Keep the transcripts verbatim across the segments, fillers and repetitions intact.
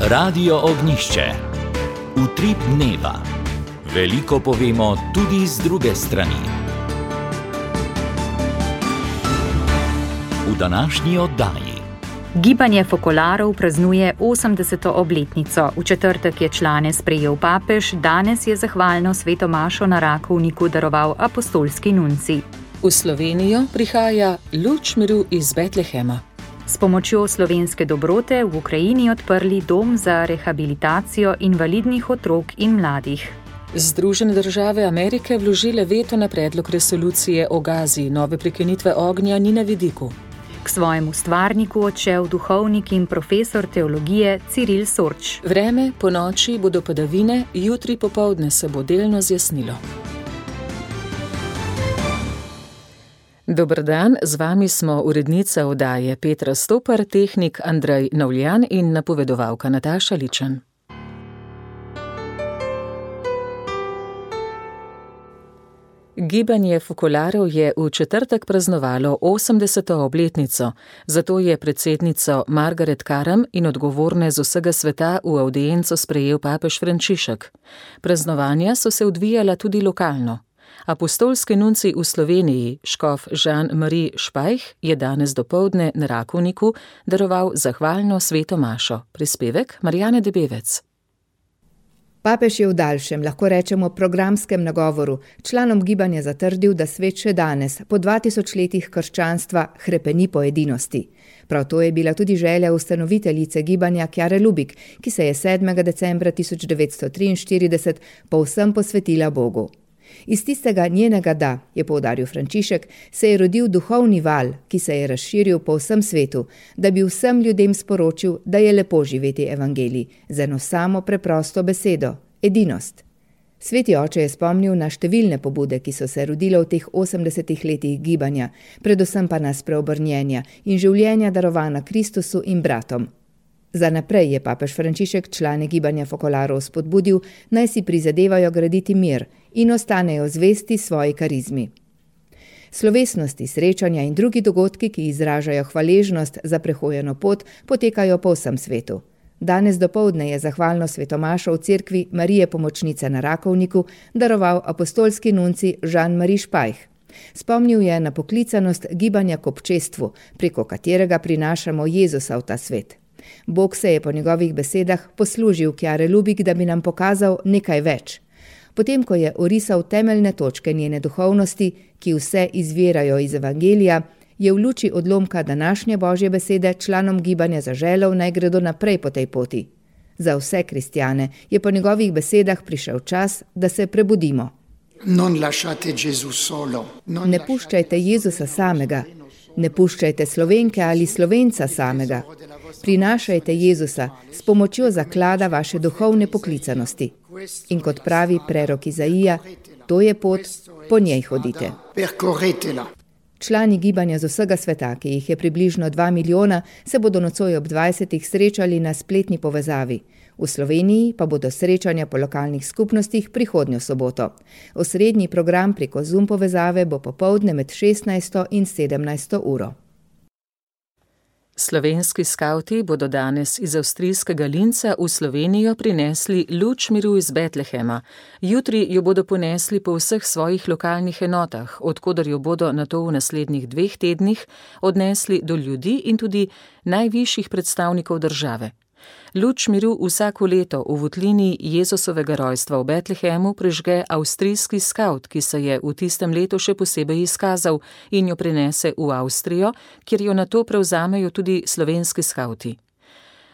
Radio Ognjišče. Utrip dneva. Veliko povemo tudi z druge strani. V današnji oddaji. Gibanje fokolarov praznuje osemdeseto obletnico. V četrtek je člane sprejel papež, danes je zahvalno sveto mašo na Rakovniku daroval apostolski nunci. V Slovenijo prihaja luč miru iz Betlehema. S pomočjo slovenske dobrote v Ukrajini odprli dom za rehabilitacijo invalidnih otrok in mladih. Združene države Amerike vložile veto na predlog resolucije o Gazi, nove prekinitve ognja ni na vidiku. K svojemu stvarniku odšel duhovnik in profesor teologije Ciril Sorč. Vreme, po noči bodo padavine, jutri popoldne se bo delno zjasnilo. Dober dan, z vami smo urednica oddaje Petra Stopar, tehnik Andrej Navljan in napovedovalka Nataša Ličen. Gibanje fokolarov je v četrtek praznovalo osemdeseto obletnico, zato je predsednico Margaret Karam in odgovorne z vsega sveta v avdienco sprejel papež Frančišek. Praznovanja so se odvijala tudi lokalno. Apostolski nunci v Sloveniji, škof Jean-Marie Špajh, je danes dopoldne na Rakovniku daroval zahvalno sveto mašo. Prispevek Marjane Debevec. Papež je v daljšem, lahko rečemo programskem nagovoru, članom gibanja zatrdil, da svet še danes, po dva tisoč letih krščanstva, hrepeni po edinosti. Prav to je bila tudi želja ustanoviteljice gibanja Chiare Lubich, ki se je sedmega decembra tisoč devetsto triinštirideset povsem posvetila Bogu. Iz tistega njenega da, je poudaril Frančišek, se je rodil duhovni val, ki se je razširil po vsem svetu, da bi vsem ljudem sporočil, da je lepo živeti evangelij, z eno samo preprosto besedo – edinost. Sveti oče je spomnil na številne pobude, ki so se rodile v teh osemdesetih letih gibanja, predvsem pa na spreobrnjenja in življenja darovana Kristusu in bratom. Za naprej je papež Frančišek člane gibanja fokolarov spodbudil, naj si prizadevajo graditi mir in ostanejo zvesti svoji karizmi. Slovesnosti, srečanja in drugi dogodki, ki izražajo hvaležnost za prehojeno pot, potekajo po vsem svetu. Danes dopoldne je zahvalno svetomašo v cerkvi Marije Pomočnice na Rakovniku daroval apostolski nunci Jean-Marie Špajh. Spomnil je na poklicanost gibanja k občestvu, preko katerega prinašamo Jezusa v ta svet. Bog se je po njegovih besedah poslužil Chiare Lubich, da bi nam pokazal nekaj več. Potem, ko je orisal temeljne točke njene duhovnosti, ki vse izvirajo iz evangelija, je v luči odlomka današnje Božje besede članom gibanja zaželel, naj gredo naprej po tej poti. Za vse kristjane je po njegovih besedah prišel čas, da se prebudimo. Ne puščajte Jezusa samega, ne puščajte Slovenke ali Slovenca samega. Prinašajte Jezusa s pomočjo zaklada vaše duhovne poklicanosti. In kot pravi prerok Izaija, to je pot, po njej hodite. Člani gibanja z vsega sveta, ki jih je približno dva milijona, se bodo nocoj ob dvajsetih srečali na spletni povezavi. V Sloveniji pa bodo srečanja po lokalnih skupnostih prihodnjo soboto. Osrednji program preko Zoom povezave bo popoldne med šestnajsto in sedemnajsto uro. Slovenski skavti bodo danes iz avstrijskega Linca v Slovenijo prinesli luč miru iz Betlehema. Jutri jo bodo ponesli po vseh svojih lokalnih enotah, odkoder jo bodo nato v naslednjih dveh tednih odnesli do ljudi in tudi najvišjih predstavnikov države. Luč miru vsako leto v votlini Jezusovega rojstva v Betlehemu prižge avstrijski skavt, ki se je v tistem letu še posebej izkazal in jo prinese v Avstrijo, kjer jo nato prevzamejo tudi slovenski skavti.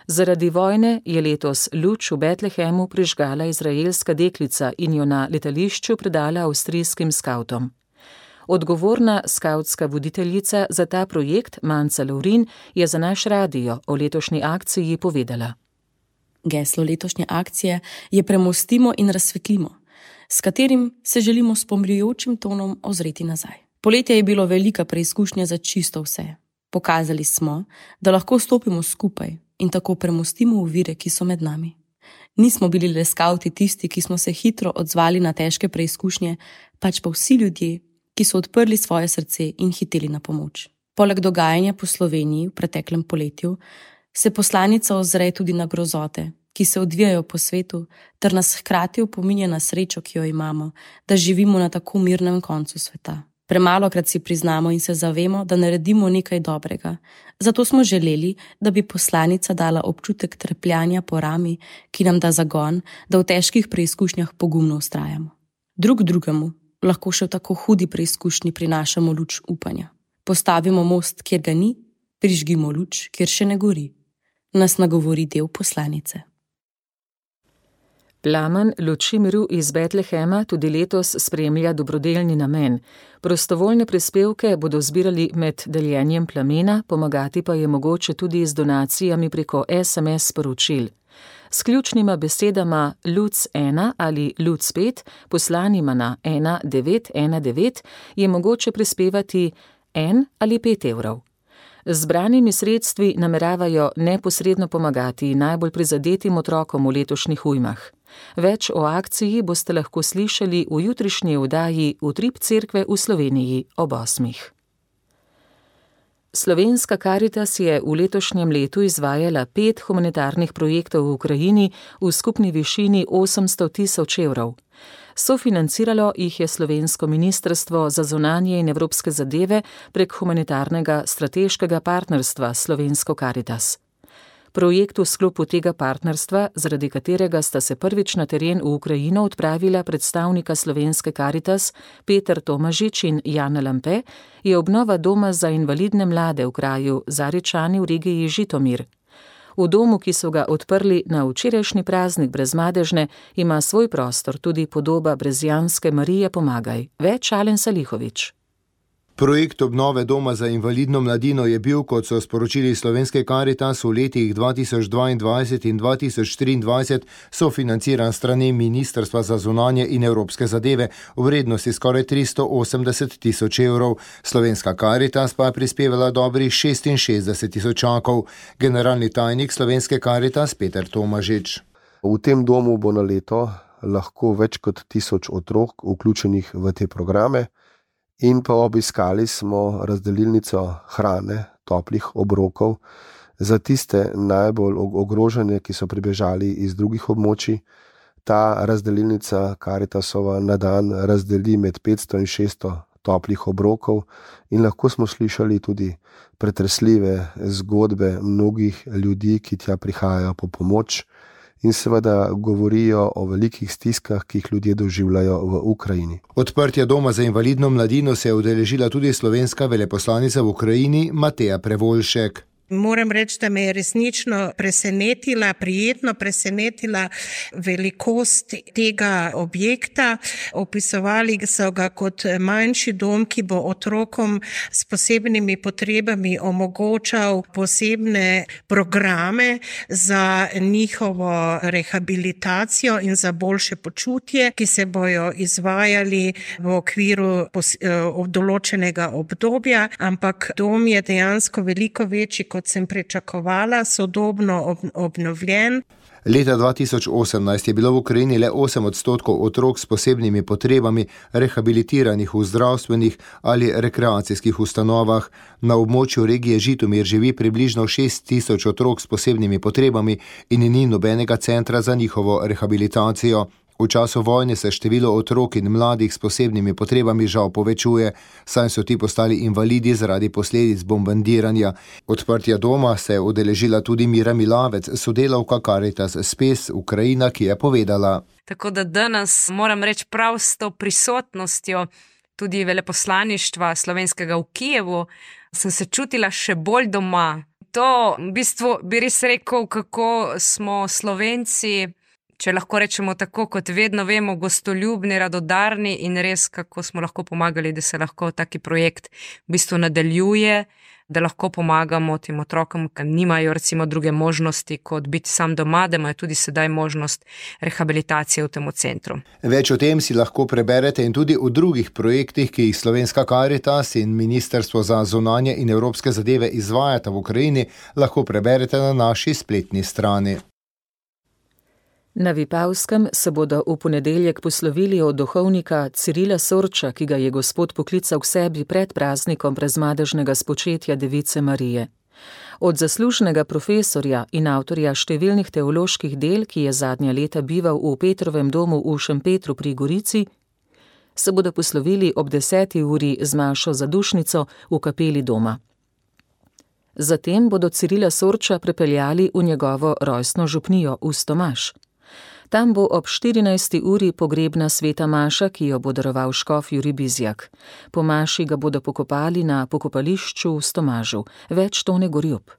Zaradi vojne je letos luč v Betlehemu prižgala izraelska deklica in jo na letališču predala avstrijskim skavtom. Odgovorna skavtska voditeljica za ta projekt, Manca Lovrin, je za naš radio o letošnji akciji povedala. Geslo letošnje akcije je Premostimo in razsvetlimo, s katerim se želimo s pomirjujočim tonom ozreti nazaj. Poletje je bilo velika preizkušnja za čisto vse. Pokazali smo, da lahko stopimo skupaj in tako premostimo ovire, ki so med nami. Nismo bili le skavti tisti, ki smo se hitro odzvali na težke preizkušnje, pač pa vsi ljudje, ki so odprli svoje srce in hiteli na pomoč. Poleg dogajanja po Sloveniji v preteklem poletju se poslanica ozre tudi na grozote, ki se odvijajo po svetu, ter nas hkrati opominja na srečo, ki jo imamo, da živimo na tako mirnem koncu sveta. Premalokrat si priznamo in se zavemo, da naredimo nekaj dobrega. Zato smo želeli, da bi poslanica dala občutek trpljanja po rami, ki nam da zagon, da v težkih preizkušnjah pogumno vztrajamo. Drug drugemu lahko še v tako hudi preizkušnji prinašamo luč upanja. Postavimo most, kjer ga ni, prižgimo luč, kjer še ne gori. Nas nagovori del poslanice. Plamen luči miru iz Betlehema tudi letos spremlja dobrodelni namen. Prostovoljne prispevke bodo zbirali med deljenjem plamena, pomagati pa je mogoče tudi z donacijami preko es em es sporočil. S ključnima besedama Luc ena ali Luc pet, poslanima na ena devet ena devet, je mogoče prispevati en ali pet evrov. Z zbranimi sredstvi nameravajo neposredno pomagati najbolj prizadetim otrokom v letošnjih ujmah. Več o akciji boste lahko slišali v jutrišnji oddaji Utrip cerkve v Sloveniji ob osmih. Slovenska Karitas je v letošnjem letu izvajala pet humanitarnih projektov v Ukrajini v skupni višini osemsto tisoč evrov. Sofinanciralo jih je Slovensko ministrstvo za zunanje in evropske zadeve prek humanitarnega strateškega partnerstva Slovensko Karitas. Projekt v sklopu tega partnerstva, zaradi katerega sta se prvič na teren v Ukrajino odpravila predstavnika Slovenske Karitas Peter Tomažič in Jana Lampe, je obnova doma za invalidne mlade v kraju Zaričani v regiji Žitomir. V domu, ki so ga odprli na včerajšnji praznik Brezmadežne, ima svoj prostor tudi podoba brezjanske Marije Pomagaj. Več Alen Salihovič. Projekt obnove doma za invalidno mladino je bil, kot so sporočili Slovenske Karitas, v letih dva tisoč dvaindvajset in dva tisoč triindvajset sofinanciran strani Ministrstva za zunanje in evropske zadeve v vrednosti skoraj tristo osemdeset tisoč evrov. Slovenska Karitas pa je prispevala dobrih šestinšestdeset tisočakov. Generalni tajnik Slovenske Karitas Peter Tomažič. V tem domu bo na leto lahko več kot tisoč otrok vključenih v te programe. In pa obiskali smo razdelilnico hrane, toplih obrokov za tiste najbolj ogrožene, ki so pribežali iz drugih območij. Ta razdelilnica Karitasova na dan razdeli med petsto in šeststo toplih obrokov in lahko smo slišali tudi pretresljive zgodbe mnogih ljudi, ki tja prihajajo po pomoč in seveda govorijo o velikih stiskah, ki jih ljudje doživljajo v Ukrajini. Odprtja doma za invalidno mladino se je udeležila tudi slovenska veleposlanica v Ukrajini Mateja Prevoljšek. Moram reči, da me je resnično presenetila, prijetno presenetila velikost tega objekta. Opisovali so ga kot manjši dom, ki bo otrokom s posebnimi potrebami omogočal posebne programe za njihovo rehabilitacijo in za boljše počutje, ki se bojo izvajali v okviru določenega obdobja, ampak dom je dejansko veliko večji, kot sem pričakovala, sodobno obnovljen. Leta dva tisoč osemnajst je bilo v Ukrajini le osem odstotkov otrok s posebnimi potrebami rehabilitiranih v zdravstvenih ali rekreacijskih ustanovah. Na območju regije Žitomir živi približno šest tisoč otrok s posebnimi potrebami in ni nobenega centra za njihovo rehabilitacijo. V času vojne se število otrok in mladih s posebnimi potrebami žal povečuje, saj so ti postali invalidi zaradi posledic bombardiranja. Odprtja doma se je udeležila tudi Mira Milavec, sodelavka Karitas Spes Ukrajina, ki je povedala. Tako da danes moram reči prav s to prisotnostjo tudi veleposlaništva slovenskega v Kijevu, sem se čutila še bolj doma. To v bistvu bi res rekel, kako smo Slovenci, če lahko rečemo tako, kot vedno vemo, gostoljubni, radodarni in res, kako smo lahko pomagali, da se lahko taki projekt v bistvu nadaljuje, da lahko pomagamo tem otrokom, ki nimajo recimo druge možnosti, kot biti sam doma, da imajo tudi sedaj možnost rehabilitacije v tem centru. Več o tem si lahko preberete in tudi v drugih projektih, ki jih Slovenska Karitas in Ministrstvo za zunanje in evropske zadeve izvajata v Ukrajini, lahko preberete na naši spletni strani. Na Vipavskem se bodo v ponedeljek poslovili od duhovnika Cirila Sorča, ki ga je Gospod poklical k sebi pred praznikom brezmadežnega spočetja Device Marije. Od zaslužnega profesorja in avtorja številnih teoloških del, ki je zadnja leta bival v Petrovem domu v Šempetru pri Gorici, se bodo poslovili ob deseti uri z mašo za dušnico v kapeli doma. Zatem bodo Cirila Sorča prepeljali v njegovo rojstno župnijo v Stomaž. Tam bo ob štirinajsti uri pogrebna sveta maša, ki jo bo daroval škof Jurij Bizjak. Po maši ga bodo pokopali na pokopališču v Stomažu. Več Tone Gorjup.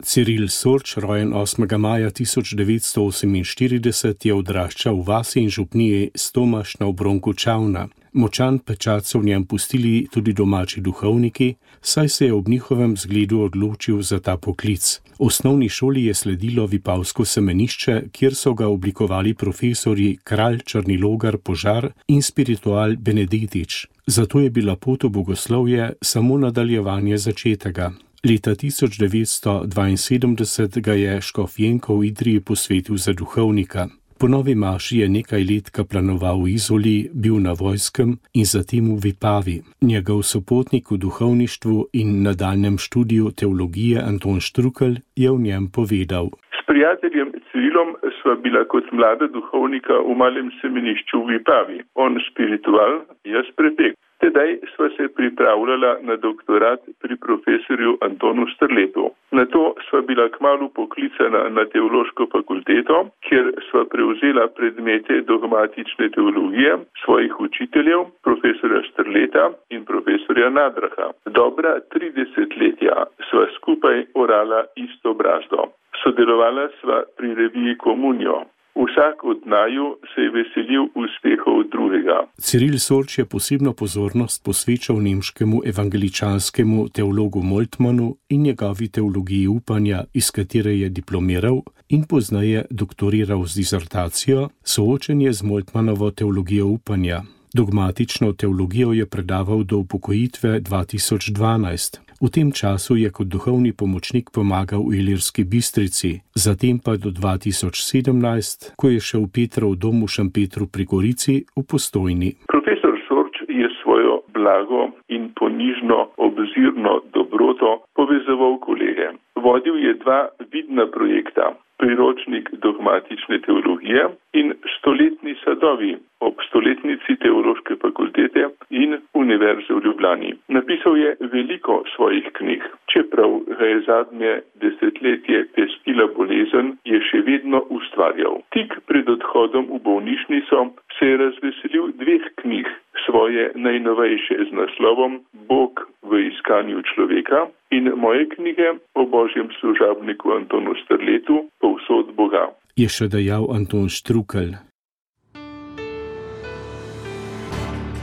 Ciril Sorč, rojen osmega maja tisoč devetsto oseminštirideset, je odraščal v vasi in župniji Stomaž na obronku Čavna. Močan pečat so v njem pustili tudi domači duhovniki, saj se je ob njihovem zgledu odločil za ta poklic. V osnovni šoli je sledilo Vipavsko semenišče, kjer so ga oblikovali profesorji Kralj Črnilogar Požar in spiritual Benedetič. Zato je bila pot v bogoslovje samo nadaljevanje začetega. Leta tisoč devetsto dvainsedemdeset ga je škof Jenko v Idriji posvetil za duhovnika. Po novi maši je nekaj let kaplanoval v Izoli, bil na vojskem in zatem v Vipavi. Njegov sopotnik v duhovništvu in nadaljnjem študiju teologije Anton Štrukelj je v njem povedal. S prijateljem Cirilom sva bila kot mlada duhovnika v malem semenišču v Vipavi. On spiritual, jaz prepek. Tedaj sva se pripravljala na doktorat pri profesorju Antonu Strletu. Nato sva bila kmalu poklicana na teološko fakulteto, kjer sva prevzela predmete dogmatične teologije svojih učiteljev, profesorja Strleta in profesorja Nadraha. Dobra tri desetletja sva skupaj orala isto brazdo. Sodelovala sva pri reviji Komunijo. Vsak od naju se je veselil uspehov drugega. Ciril Sorč je posebno pozornost posvečal nemškemu evangeličanskemu teologu Moltmannu in njegovi teologiji upanja, iz katere je diplomiral in pozneje doktoriral z disertacijo Soočenje z Moltmannovo teologijo upanja. Dogmatično teologijo je predaval do upokojitve dva tisoč dvanajst. V tem času je kot duhovni pomočnik pomagal v Ilirski Bistrici, zatem pa do dva tisoč sedemnajst, ko je šel Petrov dom v Šempetru pri Gorici v Postojni. Profesor Sorč je svojo blago in ponižno obzirno dobroto povezoval kolege. Vodil je dva vidna projekta, priročnik dogmatične teologije in stoletni sadovi ob stoletnici Teološke fakultete in Univerze v Ljubljani. Napisal je veliko svojih knjig. Čeprav ga je zadnje desetletje pestila bolezen, je še vedno ustvarjal. Tik pred odhodom v bolnišnico se je razveselil dveh knjig, svoje najnovejše z naslovom Bog v iskanju človeka in moje knjige o božjem služabniku Antonu Strletu Povsod Boga. Je še dejal Anton Štrukelj.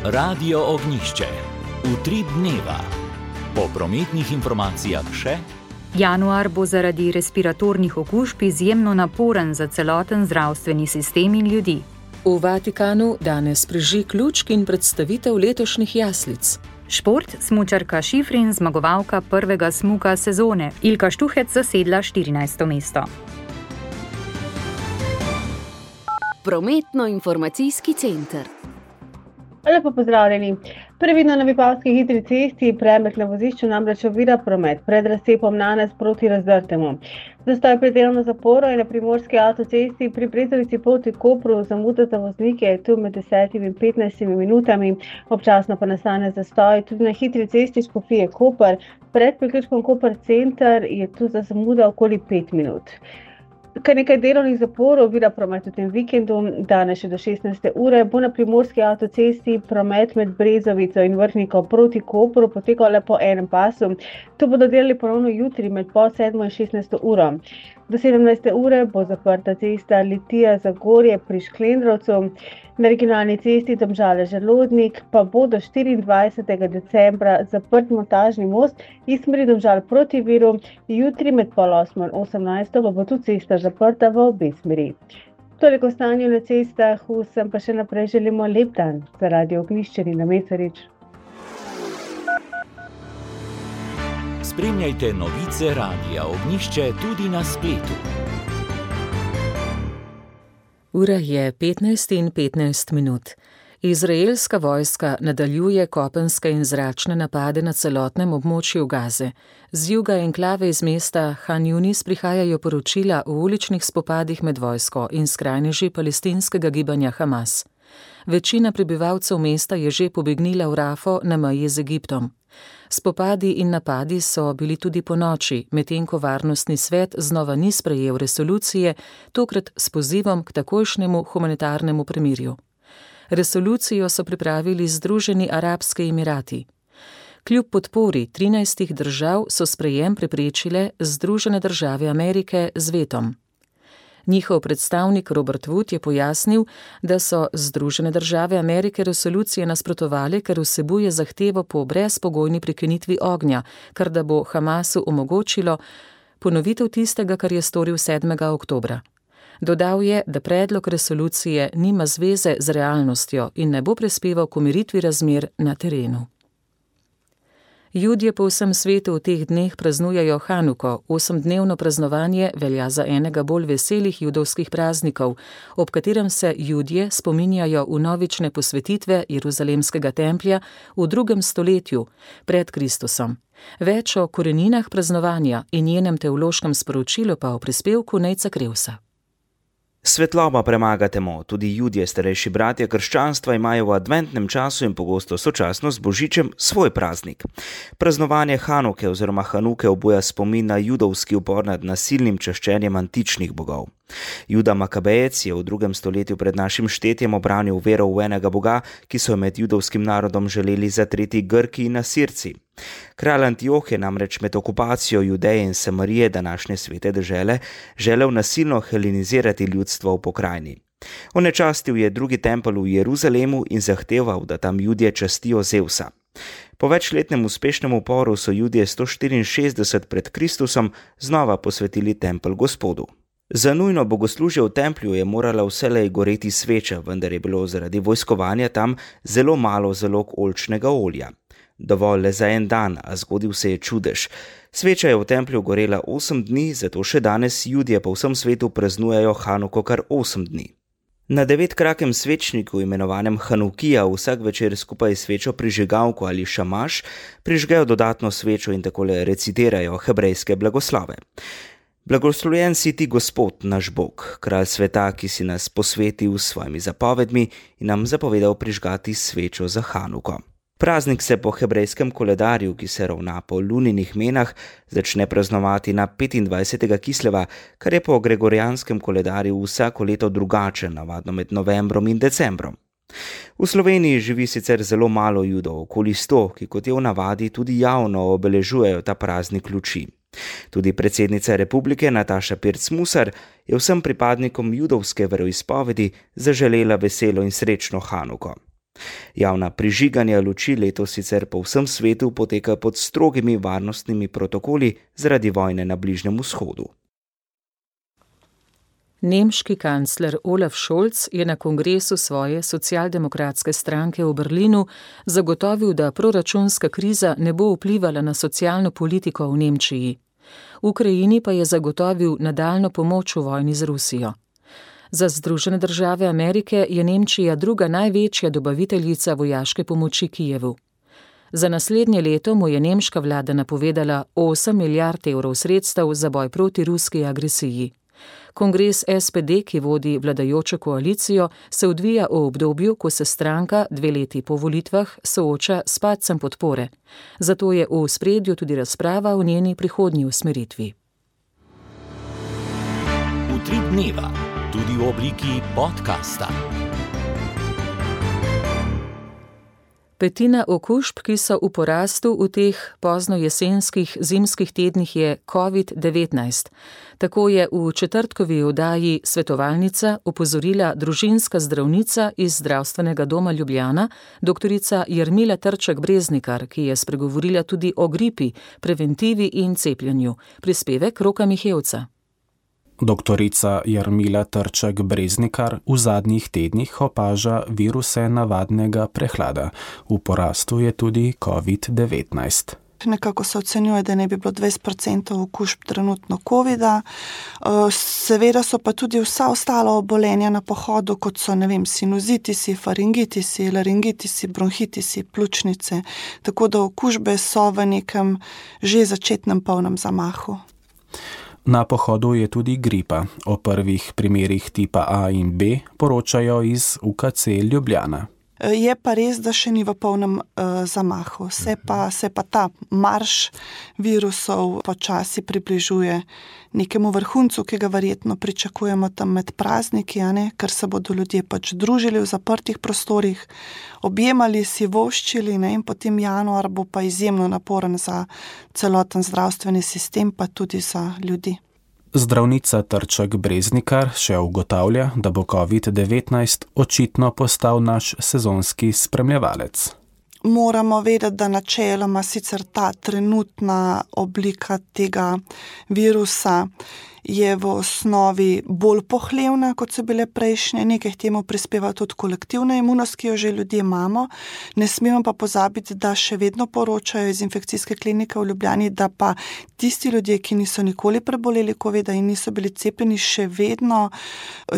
Radio Ognjišče. Utrip dneva. Po prometnih informacijah še. Januar bo zaradi respiratornih okužb izjemno naporen za celoten zdravstveni sistem in ljudi. V Vatikanu danes prižig lučk in predstavitev letošnjih jaslic. Šport, smučarka Šifrin, zmagovalka prvega smuka sezone. Ilka Štuhec zasedla štirinajsto mesto. Prometno-informacijski center. Lepo pozdravljeni. Previdno na Vipavski hitri cesti, premek na vozišču namreč ovira promet pred razcepom Nanes proti Razdrtemu. Zastoj pred delovno zaporo je na primorski avtocesti pri Brezovici proti Kopru, zamuda za voznike je tu med desetimi in petnajstimi minutami, občasno pa nastane zastoj tudi na hitri cesti Škofije Koper. Pred priključkom Koper center je tu za zamuda okoli pet minut. Kar nekaj delovnih zaporov ovira promet v tem vikendu. Danes še do šestnajste ure bo na primorski avtocesti promet med Brezovico in Vrhniko proti Kopru potekal le po enem pasu. To bodo delali ponovno jutri med pol sedmo in šestnajsto uro. Do sedemnajste ure bo zaprta cesta Litija-Zagorje pri Šklendrovcu. Na regionalni cesti Domžale-Želodnik pa bo do štiriindvajsetega decembra zaprt montažni most iz smeri Domžal proti Viru. Jutri med pol osmo in osemnajsto pa bo tu cesta zaprta v obe smeri. Toliko o stanju na cestah, vsem pa še naprej želimo lep dan. Za Radio Ognjišče Nina Mesarič. Spremljajte novice Radia Ognjišče tudi na spletu. Ura je petnajst in petnajst minut. Izraelska vojska nadaljuje kopenske in zračne napade na celotnem območju Gaze. Z juga enklave iz mesta Han Yunis prihajajo poročila o uličnih spopadih med vojsko in skrajneži palestinskega gibanja Hamas. Večina prebivalcev mesta je že pobegnila v Rafo na meji z Egiptom. Spopadi in napadi so bili tudi ponoči, medtem ko Varnostni svet znova ni sprejel resolucije, tokrat s pozivom k takojšnjemu humanitarnemu premirju. Resolucijo so pripravili Združeni arabski emirati. Kljub podpori trinajstih držav so sprejem preprečile Združene države Amerike z vetom. Njihov predstavnik Robert Wood je pojasnil, da so Združene države Amerike resolucije nasprotovali, ker vsebuje zahtevo po brezpogojni prekinitvi ognja, kar da bo Hamasu omogočilo ponovitev tistega, kar je storil sedmega oktobra. Dodal je, da predlog resolucije nima zveze z realnostjo in ne bo prispeval k umiritvi razmer na terenu. Judje po vsem svetu v teh dneh praznujejo Hanuko. Osemdnevno praznovanje velja za enega bolj veselih judovskih praznikov, ob katerem se Judje spominjajo vnovične posvetitve Jeruzalemskega templja v drugem stoletju pred Kristusom. Več o koreninah praznovanja in njenem teološkem sporočilu pa v prispevku Nejca Krevsa. Svetloba premaga temo. Tudi Judje, starejši bratje krščanstva, imajo v adventnem času in pogosto sočasno z Božičem svoj praznik. Praznovanje Hanuke oziroma Hanuke obuja spomin na judovski upor nad nasilnim čaščenjem antičnih bogov. Juda Makabejec je v drugem stoletju pred našim štetjem obranil vero v enega boga, ki so jo med judovskim narodom želeli zatreti Grki in Asirci. Kralj Antioh je namreč med okupacijo Judeje in Samarije, današnje svete dežele, želel nasilno helenizirati ljudstvo v pokrajini. Onečastil je drugi tempelj v Jeruzalemu in zahteval, da tam Judje častijo Zevsa. Po večletnem uspešnem uporu so Judje sto štiriinšestdeset pred Kristusom znova posvetili tempelj Gospodu. Za nujno bogoslužje v templju je morala vselej goreti sveča, vendar je bilo zaradi vojskovanja tam zelo malo zalog oljčnega olja. Dovolj le za en dan, a zgodil se je čudež. Sveča je v templju gorela osem dni, zato še danes Judje po vsem svetu praznujejo Hanuko kar osem dni. Na devetkrakem svečniku, imenovanem Hanukija, vsak večer skupaj s svečo prižigalko ali šamaš prižgejo dodatno svečo in takole recitirajo hebrejske blagoslove. Blagoslovljen si ti, Gospod, naš Bog, kralj sveta, ki si nas posvetil s svojimi zapovedmi in nam zapovedal prižgati svečo za Hanuko. Praznik se po hebrejskem koledarju, ki se ravna po luninih menah, začne praznovati na petindvajsetega Kisleva, kar je po gregorijanskem koledarju vsako leto drugače, navadno med novembrom in decembrom. V Sloveniji živi sicer zelo malo Judov, okoli sto, ki kot je v navadi tudi javno obeležujejo ta praznik luči. Tudi predsednica republike Nataša Pirc-Musar je vsem pripadnikom judovske veroizpovedi zaželela veselo in srečno Hanuko. Javna prižiganja luči letos sicer po vsem svetu poteka pod strogimi varnostnimi protokoli zaradi vojne na Bližnjem vzhodu. Nemški kancler Olaf Scholz je na kongresu svoje socialdemokratske stranke v Berlinu zagotovil, da proračunska kriza ne bo vplivala na socialno politiko v Nemčiji. Ukrajini pa je zagotovil nadaljnjo pomoč v vojni z Rusijo. Za Združene države Amerike je Nemčija druga največja dobaviteljica vojaške pomoči Kijevu. Za naslednje leto mu je nemška vlada napovedala osem milijard evrov sredstev za boj proti ruski agresiji. Kongres S P D, ki vodi vladajočo koalicijo, se odvija v obdobju, ko se stranka dve leti po volitvah sooča s padcem podpore. Zato je v ospredju tudi razprava o njeni prihodnji usmeritvi. Utrip dneva, tudi v obliki podcasta. Petina okužb, ki so v porastu v teh pozno jesenskih zimskih tednih, je covid devetnajst. Tako je v četrtkovi oddaji Svetovalnica opozorila družinska zdravnica iz Zdravstvenega doma Ljubljana, doktorica Jarmila Trček Breznikar, ki je spregovorila tudi o gripi, preventivi in cepljenju. Prispevek Roka Mihevca. Doktorica Jarmila Trček Breznikar v zadnjih tednih opaža viruse navadnega prehlada. V porastu je tudi covid devetnajst. Nekako se ocenjuje, da ne bi bilo dvajset procentov okužb trenutno covida. Seveda so pa tudi vsa ostala obolenja na pohodu, kot so, ne vem, sinuzitisi, faringitisi, laringitisi, bronhitisi, pljučnice. Tako da okužbe so v nekem že začetnem polnem zamahu. Na pohodu je tudi gripa. O prvih primerih tipa A in B poročajo iz U K C Ljubljana. Je pa res, da še ni v polnem uh, zamahu. Se pa, se pa ta marš virusov počasi približuje nekemu vrhuncu, ki ga verjetno pričakujemo tam med prazniki, a ne? Ker se bodo ljudje pač družili v zaprtih prostorih, objemali si, voščili, ne? In potem januar bo pa izjemno naporen za celoten zdravstveni sistem, pa tudi za ljudi. Zdravnica Trček Breznikar še ugotavlja, da bo covid devetnajst očitno postal naš sezonski spremljevalec. Moramo vedeti, da načeloma sicer ta trenutna oblika tega virusa je v osnovi bolj pohlevna, kot so bile prejšnje. Nekaj temu prispeva tudi kolektivna imunost, ki jo že ljudje imamo. Ne smemo pa pozabiti, da še vedno poročajo iz infekcijske klinike v Ljubljani, da pa tisti ljudje, ki niso nikoli preboleli covida in niso bili cepljeni, še vedno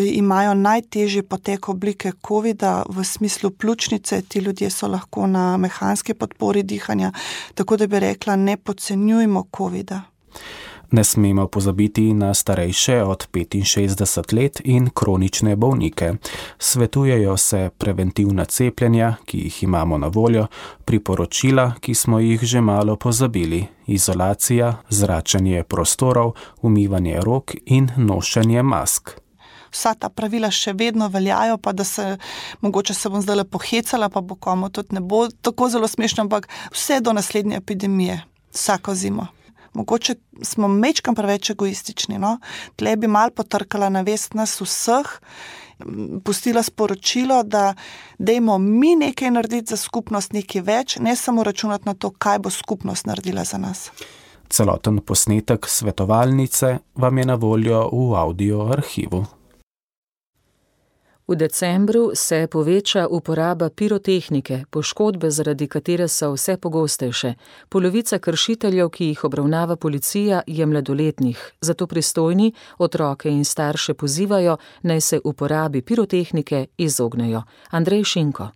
imajo najtežji potek oblike covida v smislu pljučnice. Ti ljudje so lahko na mehanski podpori dihanja, tako da bi rekla, ne podcenjujmo covida. Ne smemo pozabiti na starejše od petinšestdeset let in kronične bolnike. Svetujejo se preventivna cepljenja, ki jih imamo na voljo, priporočila, ki smo jih že malo pozabili, izolacija, zračenje prostorov, umivanje rok in nošenje mask. Vsa ta pravila še vedno veljajo, pa da se, mogoče se bom zdaj pohecala, pa bo komu tudi ne bo tako zelo smešno, ampak vse do naslednje epidemije, vsako zimo. Mogoče smo mečkam preveč egoistični, no? Tle bi malo potrkala na vest nas vseh, pustila sporočilo, da dajmo mi nekaj narediti za skupnost, nekaj več, ne samo računati na to, kaj bo skupnost naredila za nas. Celoten posnetek svetovalnice vam je na voljo v audio arhivu. V decembru se poveča uporaba pirotehnike, poškodbe, zaradi katere so vse pogostejše. Polovica kršiteljev, ki jih obravnava policija, je mladoletnih. Zato pristojni otroke in starše pozivajo, naj se uporabi pirotehnike izognejo. Andrej Šinko.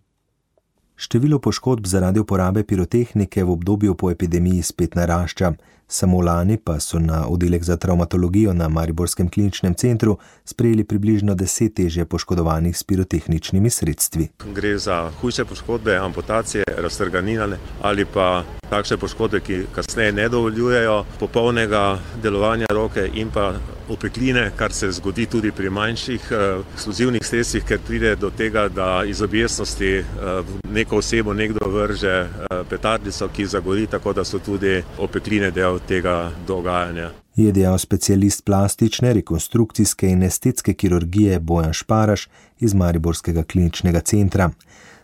Število poškodb zaradi uporabe pirotehnike v obdobju po epidemiji spet narašča. Samo lani pa so na oddelek za travmatologijo na Mariborskem kliničnem centru sprejeli približno deset težje poškodovanih s pirotehničnimi sredstvi. Gre za hujše poškodbe, amputacije, raztrganine ali pa takšne poškodbe, ki kasneje ne dovoljujejo popolnega delovanja roke in pa opekline, kar se zgodi tudi pri manjših uh, eksplozivnih sredstvih, ker pride do tega, da iz objestnosti uh, neko osebo nekdo vrže uh, petardico, ki zagori, tako da so tudi opekline del tega dogajanja. Je dejal specialist plastične, rekonstrukcijske in estetske kirurgije Bojan Šparaš iz Mariborskega kliničnega centra.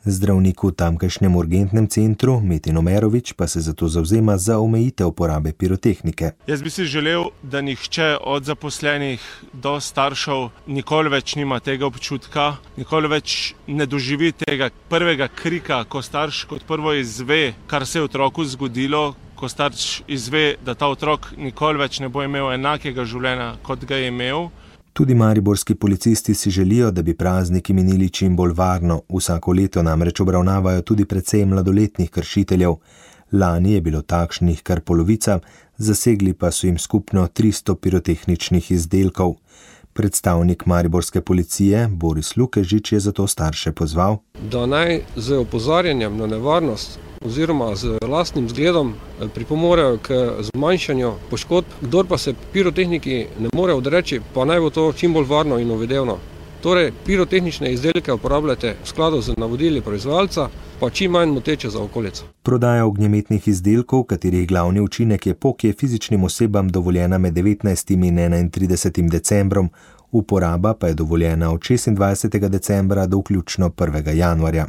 Zdravnik v tamkajšnjem urgentnem centru, Metin Omerovič, pa se zato zavzema za omejitev uporabe pirotehnike. Jaz bi si želel, da nihče od zaposlenih do staršev nikoli več nima tega občutka, nikoli več ne doživi tega prvega krika, ko starš kot prvo izve, kar se je otroku zgodilo, ko starš izve, da ta otrok nikoli več ne bo imel enakega življenja, kot ga je imel. Tudi mariborski policisti si želijo, da bi prazniki minili čim bolj varno. Vsako leto namreč obravnavajo tudi precej mladoletnih kršiteljev. Lani je bilo takšnih kar polovica, zasegli pa so jim skupno tristo pirotehničnih izdelkov. Predstavnik mariborske policije Boris Lukežič je zato starše pozval, da naj z opozarjanjem na nevarnost oziroma z lastnim zgledom pripomorejo k zmanjšanju poškodb. Kdor pa se pirotehniki ne more odreči, pa naj bo to čim bolj varno in uvidevno. Torej, pirotehnične izdelke uporabljate v skladu z navodili proizvajalca, pa čim manj moteče za okolico. Prodaja ognjemetnih izdelkov, katerih glavni učinek je pok, je fizičnim osebam dovoljena med devetnajstim in enaintridesetim decembrom, uporaba pa je dovoljena od šestindvajsetega decembra do vključno prvega januarja.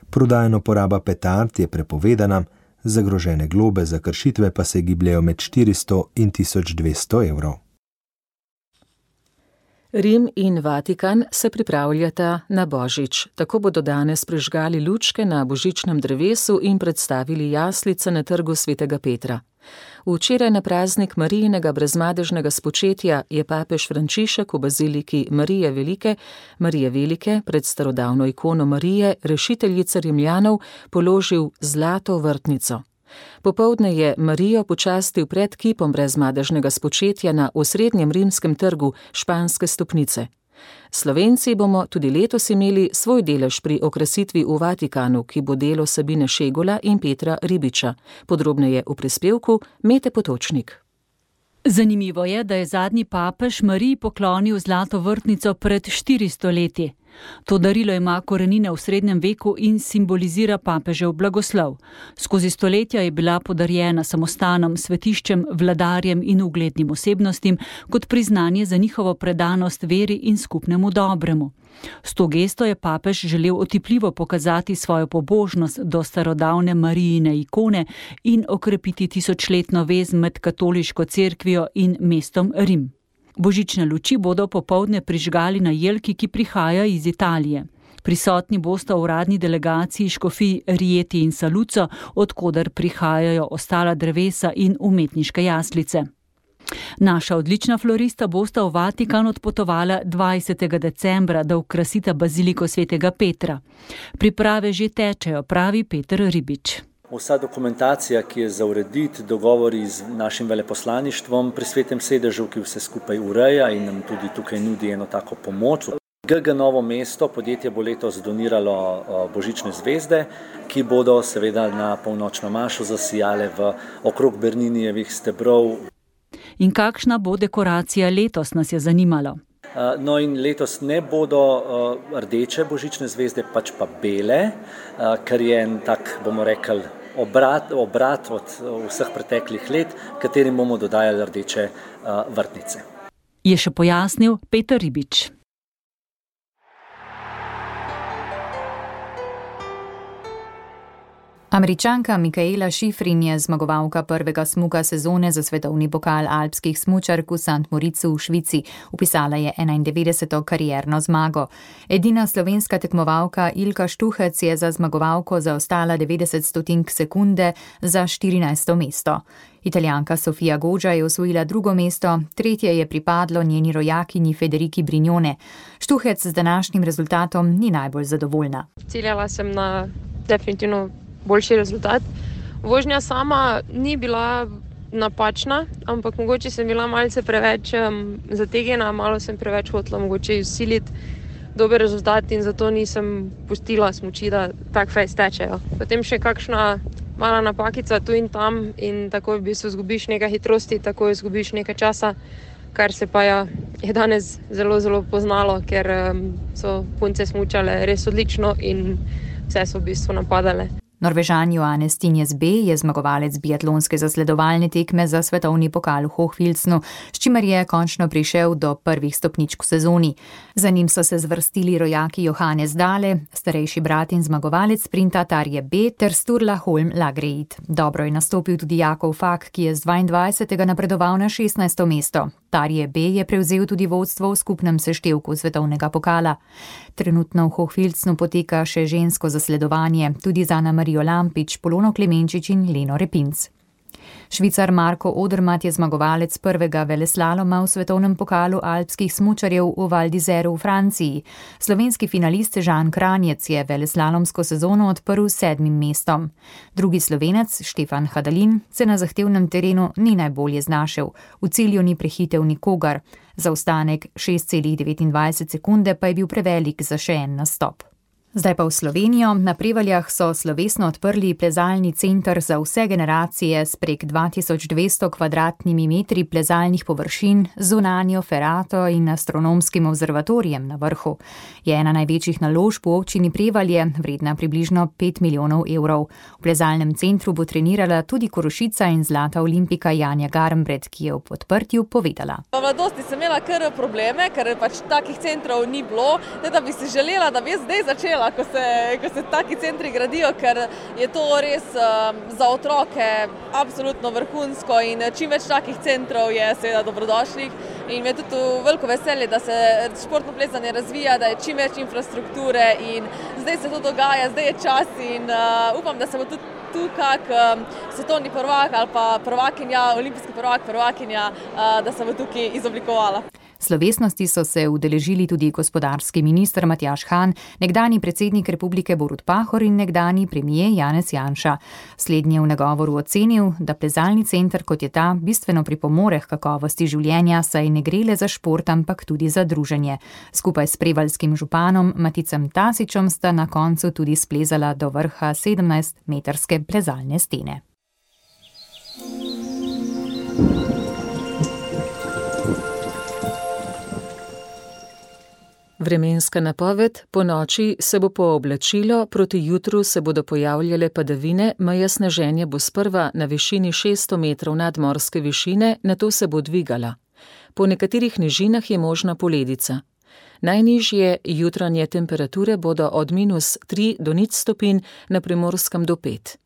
Prodajna uporaba petard je prepovedana, zagrožene globe za kršitve pa se gibljejo med štiristo in tisoč dvesto evrov. Rim in Vatikan se pripravljata na Božič. Tako bodo danes prižgali lučke na božičnem drevesu in predstavili jaslice na trgu svetega Petra. Včeraj na praznik Marijinega brezmadežnega spočetja je papež Frančišek v baziliki Marije Velike, Marije Velike pred starodavno ikono Marije, rešiteljice Rimljanov, položil zlato vrtnico. Popoldne je Marijo počastil pred kipom brezmadežnega spočetja na osrednjem rimskem trgu Španske stopnice. Slovenci bomo tudi letos imeli svoj delež pri okrasitvi v Vatikanu, ki bo delo Sabine Šegola in Petra Ribiča. Podrobneje v prispevku Mete Potočnik. Zanimivo je, da je zadnji papež Mariji poklonil zlato vrtnico pred štiristo leti. To darilo ima korenine v srednjem veku in simbolizira papežev blagoslov. Skozi stoletja je bila podarjena samostanom, svetiščem, vladarjem in uglednim osebnostim kot priznanje za njihovo predanost veri in skupnemu dobremu. S to gesto je papež želel otipljivo pokazati svojo pobožnost do starodavne Marijine ikone in okrepiti tisočletno vez med katoliško cerkvijo in mestom Rim. Božične luči bodo popoldne prižgali na jelki, ki prihaja iz Italije. Prisotni bosta v uradni delegaciji škofij Rieti in Saluzzo, odkoder prihajajo ostala drevesa in umetniške jaslice. Naša odlična florista bosta v Vatikan odpotovala dvajsetega decembra, da okrasita baziliko svetega Petra. Priprave že tečejo, pravi Peter Ribič. Vsa dokumentacija, ki je za urediti, dogovori z našim veleposlaništvom pri Svetem sedežu, ki vse skupaj ureja in nam tudi tukaj nudi eno tako pomoč. G G Novo mesto podjetje bo letos doniralo božične zvezde, ki bodo seveda na polnočno mašo zasijale v okrog Berninijevih stebrov. In kakšna bo dekoracija letos, nas je zanimalo. No in letos ne bodo rdeče božične zvezde, pač pa bele, kar je en tak, bomo rekli, obrat, obrat od vseh preteklih let, katerim bomo dodajali rdeče vrtnice. Je še pojasnil Peter Ribič. Američanka Mikaela Šifrin je zmagovalka prvega smuka sezone za svetovni pokal alpskih smučark v Sant Moricu v Švici. Vpisala je enaindevetdeseto karierno zmago. Edina slovenska tekmovalka Ilka Štuhec je za zmagovalko zaostala devetdeset stotink sekunde za štirinajsto mesto. Italijanka Sofia Goggia je osvojila drugo mesto, tretje je pripadlo njeni rojakinji Federiki Brignone. Štuhec z današnjim rezultatom ni najbolj zadovoljna. Ciljala sem na definitivno boljši rezultat. Vožnja sama ni bila napačna, ampak mogoče sem bila malce preveč um, zategnjena, malo sem preveč hotela mogoče izsiliti dober rezultat in zato nisem pustila smuči, da tak fejs tečejo. Potem še kakšna mala napakica tu in tam in tako v bistvu zgubiš nekaj hitrosti, tako izgubiš nekaj časa, kar se pa ja, je danes zelo, zelo poznalo, ker um, so punce smučale res odlično in vse so v bistvu napadale. Norvežan Johannes Tinjes B je zmagovalec biatlonske zasledovalne tekme za svetovni pokal v Hochfilzenu, s čimer je končno prišel do prvih stopničk v sezoni. Za njim so se zvrstili rojaki Johannes Dale, starejši brat in zmagovalec sprinta Tarje B ter Sturla Holm Lagreit. Dobro je nastopil tudi Jakov Fak, ki je z dvaindvajsetega napredoval na šestnajsto mesto. Tarje B je prevzel tudi vodstvo v skupnem seštevku svetovnega pokala. Trenutno v Hochfilzenu poteka še žensko zasledovanje, tudi za Ana Marijo Lampič, Polono Klemenčič in Leno Repinc. Švicar Marko Odermatt je zmagovalec prvega veleslaloma v svetovnem pokalu alpskih smučarjev v Val d'Isère v Franciji. Slovenski finalist Žan Kranjec je veleslalomsko sezono odprl s sedmim mestom. Drugi Slovenec Štefan Hadalin se na zahtevnem terenu ni najbolje znašel, v cilju ni prehitel nikogar. Zaostanek šest celih devetindvajset sekunde pa je bil prevelik za še en nastop. Zdaj pa v Slovenijo. Na Prevaljah so slovesno odprli plezalni center za vse generacije s prek dva tisoč dvesto kvadratnimi metri plezalnih površin, zunanjo ferato in astronomskim observatorijem na vrhu. Je ena največjih naložb v občini Prevalje, vredna približno pet milijonov evrov. V plezalnem centru bo trenirala tudi Korošica in zlata olimpika Janja Garnbret, ki je ob odprtju povedala. V mladosti sem imela kar probleme, ker pač takih centrov ni bilo, da bi si želela, da bi zdaj začela, ko se, ko se taki centri gradijo, ker je to res um, za otroke absolutno vrhunsko in čim več takih centrov je seveda dobrodošlih in je tudi veliko veselje, da se športno plezanje razvija, da je čim več infrastrukture in zdaj se to dogaja, zdaj je čas in uh, upam, da se bo tudi tu kak um, svetovni prvak ali pa prvakinja, olimpijski prvak, prvakinja, uh, da se bo tukaj izoblikovala. Slovesnosti so se udeležili tudi gospodarski minister Matjaž Han, nekdani predsednik republike Borut Pahor in nekdani premijer Janez Janša. Slednji je v nagovoru ocenil, da plezalni center kot je ta bistveno pripomore k kakovosti življenja, saj ne gre le za šport, ampak tudi za druženje. Skupaj s prevaljskim županom Maticem Tasičem sta na koncu tudi splezala do vrha sedemnajstmetrske plezalne stene. Vremenska napoved: po noči se bo pooblačilo, proti jutru se bodo pojavljale padavine, meja sneženja bo sprva na višini šeststo metrov nadmorske višine, nato se bo dvigala. Po nekaterih nižinah je možna poledica. Najnižje jutranje temperature bodo od minus tri do nič stopinj, na Primorskem do pet.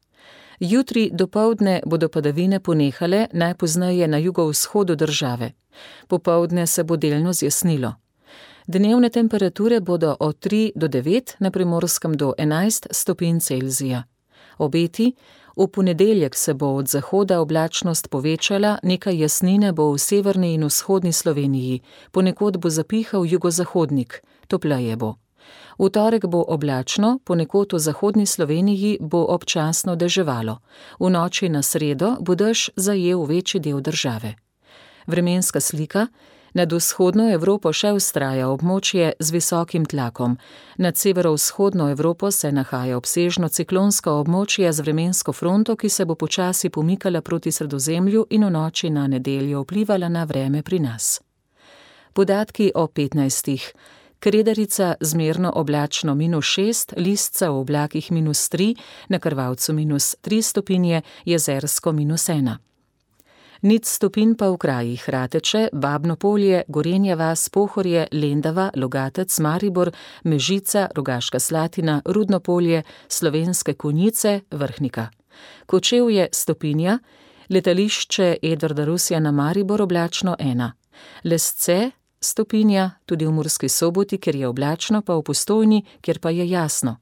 Jutri dopoldne bodo padavine ponehale, najpozneje na jugovzhodu države. Popoldne se bo delno zjasnilo. Dnevne temperature bodo od tri do devet, na Primorskem do enajst stopinj Celzija. Obeti: v ponedeljek se bo od zahoda oblačnost povečala, nekaj jasnine bo v severni in vzhodni Sloveniji, ponekod bo zapihal jugozahodnik, topleje bo. V torek bo oblačno, ponekod v zahodni Sloveniji bo občasno deževalo. V noči na sredo bo dež zajel večji del države. Vremenska slika: nad vzhodno Evropo še vztraja območje z visokim tlakom. Nad severovzhodno Evropo se nahaja obsežno ciklonsko območje z vremensko fronto, ki se bo počasi pomikala proti Sredozemlju in v noči na nedeljo vplivala na vreme pri nas. Podatki o petnajstih. Kredarica zmerno oblačno minus šest, Listca v oblakih minus tri, na Krvavcu minus tri stopinje, Jezersko minus ena. Nič stopinj pa v krajih Rateče, Babno Polje, Gorenja vas, Pohorje, Lendava, Logatec, Maribor, Mežica, Rogaška Slatina, Rudno Polje, Slovenske Konjice, Vrhnika. Kočevje stopinja, letališče Edvarda Rusjana Maribor oblačno ena. Lesce stopinja, tudi v Murski Soboti, kjer je oblačno, pa v Postojni, kjer pa je jasno.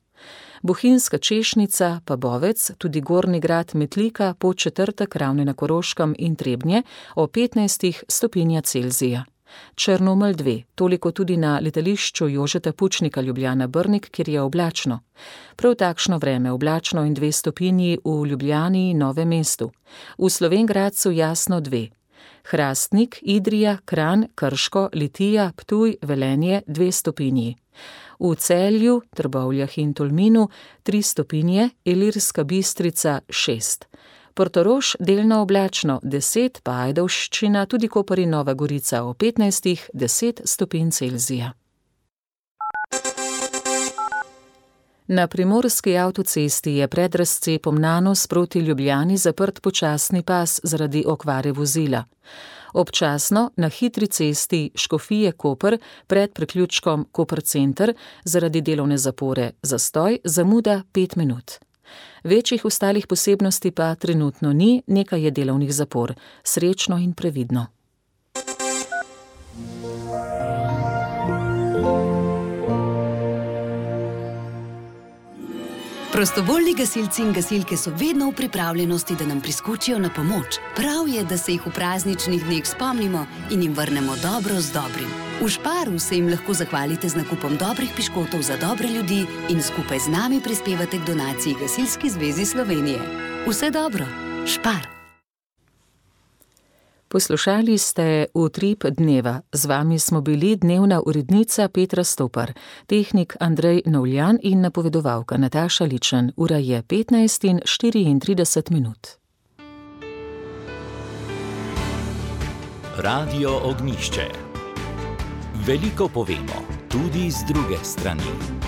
Bohinjska Češnica, pa Bovec, tudi Gornji Grad, Metlika, Podčetrtek, Ravne na Koroškem in Trebnje o petnajstih stopinja Celzija. Črnomelj dve, toliko tudi na letališču Jožeta Pučnika Ljubljana Brnik, kjer je oblačno. Prav takšno vreme, oblačno in dve stopinji v Ljubljani in Novem mestu. V Slovenj Gradcu jasno dve. Hrastnik, Idrija, Kranj, Krško, Litija, Ptuj, Velenje dve stopinji. V Celju, Trbovljah in Tolminu tri stopinje, Ilirska Bistrica šest. Portorož delno oblačno deset, pa Ajdovščina, tudi Koper in Nova Gorica o petnajstih, deset stopinj Celzija. Na primorski avtocesti je pred razcepom Nanos proti Ljubljani zaprt počasni pas zaradi okvare vozila. Občasno na hitri cesti Škofije-Koper pred priključkom Koper Center zaradi delovne zapore zastoj, zamuda pet minut. Večjih ostalih posebnosti pa trenutno ni, nekaj je delovnih zapor. Srečno in previdno. Prostovoljni gasilci in gasilke so vedno v pripravljenosti, da nam priskočijo na pomoč. Prav je, da se jih v prazničnih dneh spomnimo in jim vrnemo dobro z dobrim. V Šparu se jim lahko zahvalite z nakupom dobrih piškotov za dobre ljudi in skupaj z nami prispevate k donaciji Gasilski zvezi Slovenije. Vse dobro, Špar! Poslušali ste Utrip dneva. Z vami smo bili dnevna urednica Petra Stopar, tehnik Andrej Novljan in napovedovalka Nataša Ličen. Ura je petnajst in štiriintrideset minut. Radio Ognjišče. Veliko povemo, tudi z druge strani.